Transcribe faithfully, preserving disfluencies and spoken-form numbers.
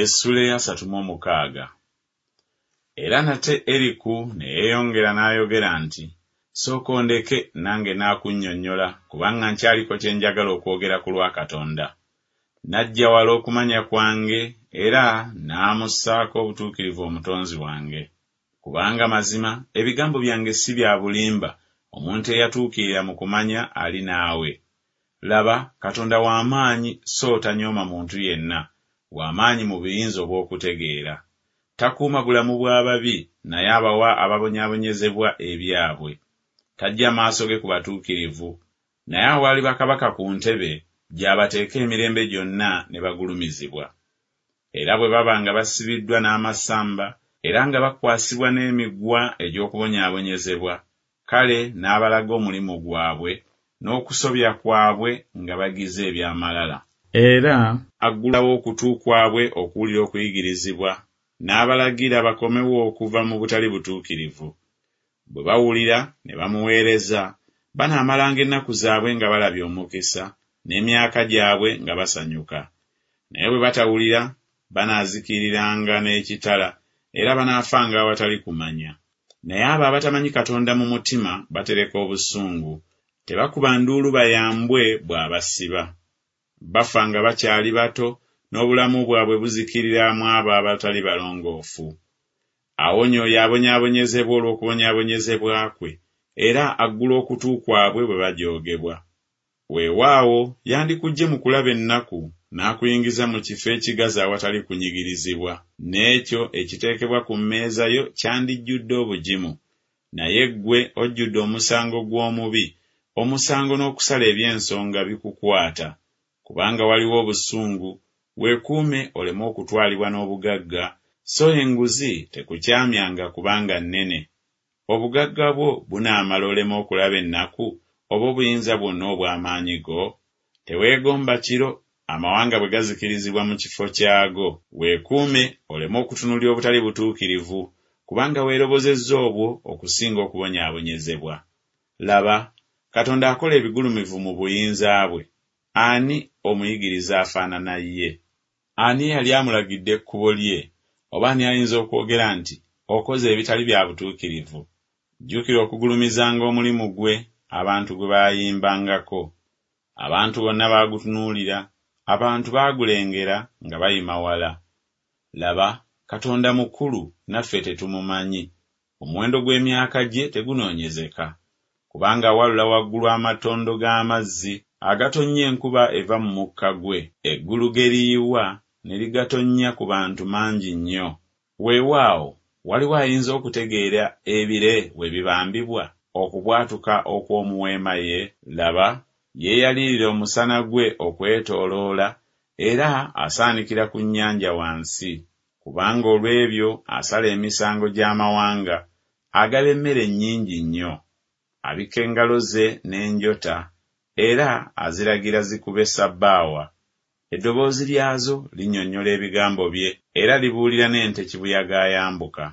Essula ey'asatu mu omukaaga. Era nate Eriku ne yeeyongera n'ayogera nti, Sooka ondeke nange naakunnyonnyola, kubanga nkyaliko kye njagala okwogera ku lwa Katonda. Naggya wala okumanya kwange, era n'amussaako obutuukirivu Omutonzi wange. Kubanga mazima ebigambo byange si bya bulimba, omuntu eyatuukirira mu kumanya ali naawe. Laba, Katonda wa maanyi so tanyooma muntu yenna, wa maanyi mu buyinza obw'okutegeera. Takuuma bulamu bw'ababi, naye abawa ababonyaabonyezebwa ebyabwe. Taggya maaso ge ku batuukirivu, naye awali bakabaka ku ntebe gy'abateeka emirembe gyonna ne bagulumizibwa. Era bwe baba nga basibiddwa n'amasamba, era nga bakwasibwa n'emiguwa egy'okubonyaabonyezebwa, kale n'abalaga omulimu gwabwe n'okusobya kwabwe nga bagize eby'amalala. Era aggulawo okutu kwabwe okuwulira okuyigirizibwa, n'abalagira bakomewo okuva mu butali butuukirivu. Bwe bawulira ne bamuweereza, banaamalanga ennaku zaabwe nga balabye omukisa, n'emyaka gyabwe nga basanyuka. Naye bwe batawulira, banaazikiriranga n'ekitala, era banaafanga awatali kumanya. Naye abo abatamanyi Katonda mu mutima batereka obusungu, tebakuba nduulu bayambwe bw'abasiba. Bafa nga bakyali bato, n'obulamu bwabwe buzikirira mu abo abatali balongoofu. Awonya oyo abonyaabonyezebwa olw'okubonyaabonyezebwa kwe, era aggula okutu kwabwe bwe bajoogebwa. Weewaawo yandikuggye mu kulaba ennaku, n'akuyingiza mu kifo ekigazi awatali kunyigirizibwa, n'ekyo ekiteekebwa ku mmeeza yo kyandijjudde obugimu. Naye ggwe ojjudde omusango gw'omubi, omusango n'okusala eby'ensonga bikukwata. Kubanga waliwo obusungu, weekuume oleme okutwalibwa n'obugagga, so enguzi tekukyamyanga kubanga nnene. Obugagga bwo bunaamala oleme okulaba ennaku, oba obuyinza bwonna obw'amaanyi go? Teweegomba kiro, amawanga bwe gazikirizibwa mu kifo kyago. Weekuume oleme okutunuulira obutali butuukirivu, kubanga weerobozezza obwo okusinga okubonyaabonyezebwa. Laba, Katonda akola ebigulumivu mu buyinza bwe. Ani omuyigiriza afaanana ye? Ani eyali amulagidde ekkubo lye? Oba ani ayinza okwogera nti, Okoze ebitali bya butuukirivu? Jjukira okugulumizanga omulimu gwe, abantu gwe baayimbangako. Abantu bonna baagutunuulira, abantu baagulengera nga bayima wala. Laba, Katonda mukulu, naffe tetumumanyi. Omuwendo gw'emyaka gye tegunoonyezeka. Kubanga awalula waggulu amatondo g'amazzi agatonnya enkuba eva mu mukka gwe, eggulu ge liyiwa ne ligatonnya ku bantu mangi nnyo. Weewaawo, waliwo ayinza okutegeera ebire we bibambibwa, okubwatuka okw'omu weema ye? Laba, yeeyalirira omusana gwe okwetooloola, era asaanikira ku nnyanja wansi. Kubanga olw'ebyo asala emisango gy'amawanga, agaba emmere nnyingi nnyo. Abikka engalo ze n'enjota, era aziragira zikube ssabbaawa. Eddoboozi lyazo linnyonnyola ebigambo bye, era libuulira n'ente kibuyaga ayambuka.